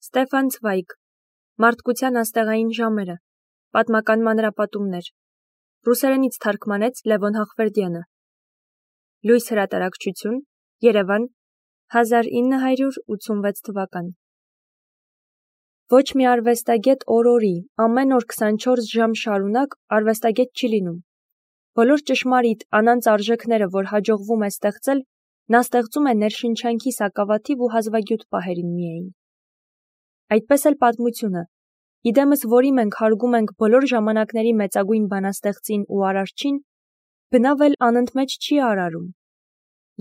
Ստեֆան Ցվայգ, Մարդկության աստեղային ժամերը, Պատմական մանրապատումներ, Ռուսերենից թարգմանեց Լևոն Հախվերդյանը, Լույս հրատարակչություն, Երևան, 1986 թվական։ Ոչ մի արվեստագետ օր-օրի, ամեն օր 24 ժամ շարունակ արվեստագետ չի լինում։ Բոլոր ճշմարիտ անանց արժեքները, որ հաջողվում է ստեղծել, նա ստեղծում է ներշնչանքի սակավաթիվ ու հազվագյուտ պահերին միայն։ Այդպես էլ պատմությունը, իդեմս որի մենք հարգում ենք բոլոր ժամանակների մեծագույն բանաստեղծին ու արարչին, բնավ էլ անընդմեջ չի արարում։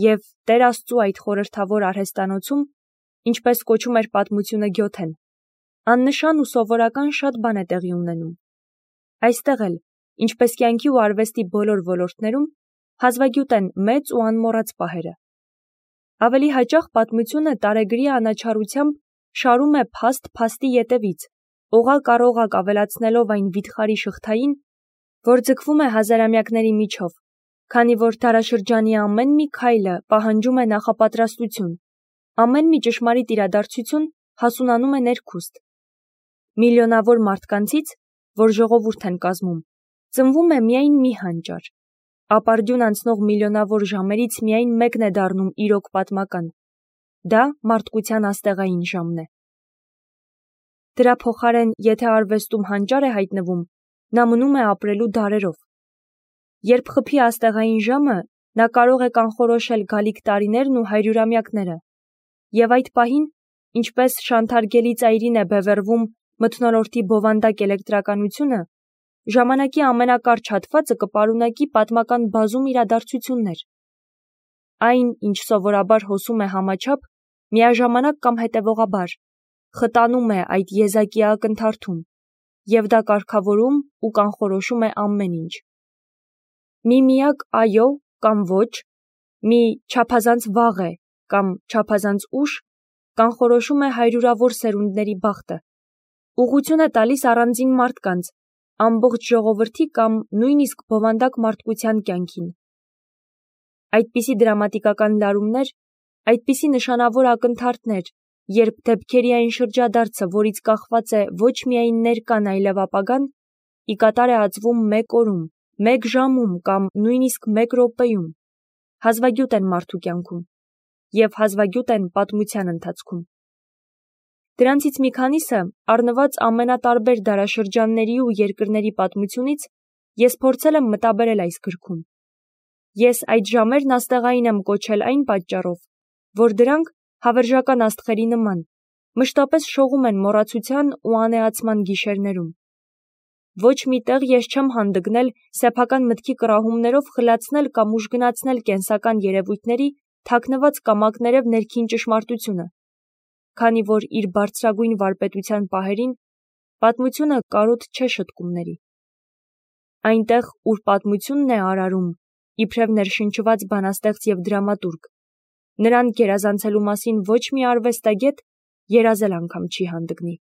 Եվ Տեր Աստծու այդ խորհրդավոր արհեստանոցում, ինչպես կոչում էր պատմությունը Գյոթեն, աննշան ու սովորական շատ բան է տեղի ունենում։ Այստեղ էլ, ինչպես կյանքի ու արվեստի բոլոր ոլորտներում, հազվագյուտ են մեծ ու անմոռաց պահերը։ Ավելի հաճախ պատմությունը տարեգրի անաչառությամբ շարում է փաստ փաստի ետևից, օղակ ավելացնելով այն վիթխարի շղթային, որ ձգվում է հազարամյակների միջով, քանի որ դարաշրջանի ամեն մի քայլը պահանջում է նախապատրաստություն, ամեն մի ճշմարիտ իրադարձություն հասունանում է ներքուստ։ Միլիոնավոր մարդկանցից, որ ժողովուրդ են կազմում, ծնվում է միայն մի հանճար, ապարդյուն անցնող միլիոնավոր ժամերից միայն մեկն է դառնում իրոք պատմական։ Դա մարդկության աստեղային ժամն է։ Դրա փոխարեն, եթե արվեստում հանճար է հայտնվում, նա մնում է ապրելու դարերով։ Երբ խփի աստեղային ժամը, նա կարող է կանխորոշել գալիք տարիներն ու հարյուրամյակները։ Եվ այդ պահին, ինչպես շանթարգելի ծայրին է բևեռվում մթնոլորտի բովանդակ էլեկտրականությունը, ժամանակի ամենակարճ հատվածը կպարունակի պատմական բազում իրադարձություններ։ Այն, ինչ սովորաբար հոսում է համաչափ, միաժամանակ կամ հետևողաբար, խտանում է այդ եզակի ակնթարթում, և դա կարգավորում ու կանխորոշում է ամեն ինչ։ Մի միակ այո կամ ոչ, մի չափազանց վաղ է կամ չափազանց ուշ, կանխորոշում է հարյուրավոր սերունդների բախտը, ուղղություն է տալիս առանձին մարդկանց, ամբողջ ժողովրդի կամ նույնիսկ բովանդակ մարդկության կյանքին։ Այդպիսի դրամատիկական լարումներ, այդպիսի նշանավոր ակնթարթներ, երբ դեպքերի այն շրջադարձը, որից կախված է ոչ միայն ներկան, այլև ապագան, ի կատար է ածվում մեկ օրում, մեկ ժամում կամ նույնիսկ մեկ րոպեում, հազվագյուտ են մարդու կյանքում և հազվագյուտ են պատմության ընթացքում։ Դրանցից մի քանիսը, առնված ամենատարբեր դարաշրջանների ու երկրների պատմությունից, ես փորձել եմ մտաբերել այս գրքում։ Ես այդ ժամերն աստեղային եմ կոչել այն պատճառով, որ դրանք, հավերժական աստղերի նման, մշտապես շողում են մոռացության ու անեացման գիշերներում։ Ոչ մի տեղ ես չեմ հանդգնել սեփական մտքի կռահումներով խլացնել կամ ուժգնացնել կենսական երևույթների թաքնված կամակներև ներքին ճշմարտությունը, քանի որ իր բարձրագույն վարպետության պահերին պատմությունը կարոտ չէ շտկումների։ Այնտեղ, ուր պատմությունն է արարում, իբրև ներշնչված բանաստեղծ և դրամատուրգ, նրան գերազանցելու մասին ոչ մի արվեստագետ երազել անգամ չի հանդգնի։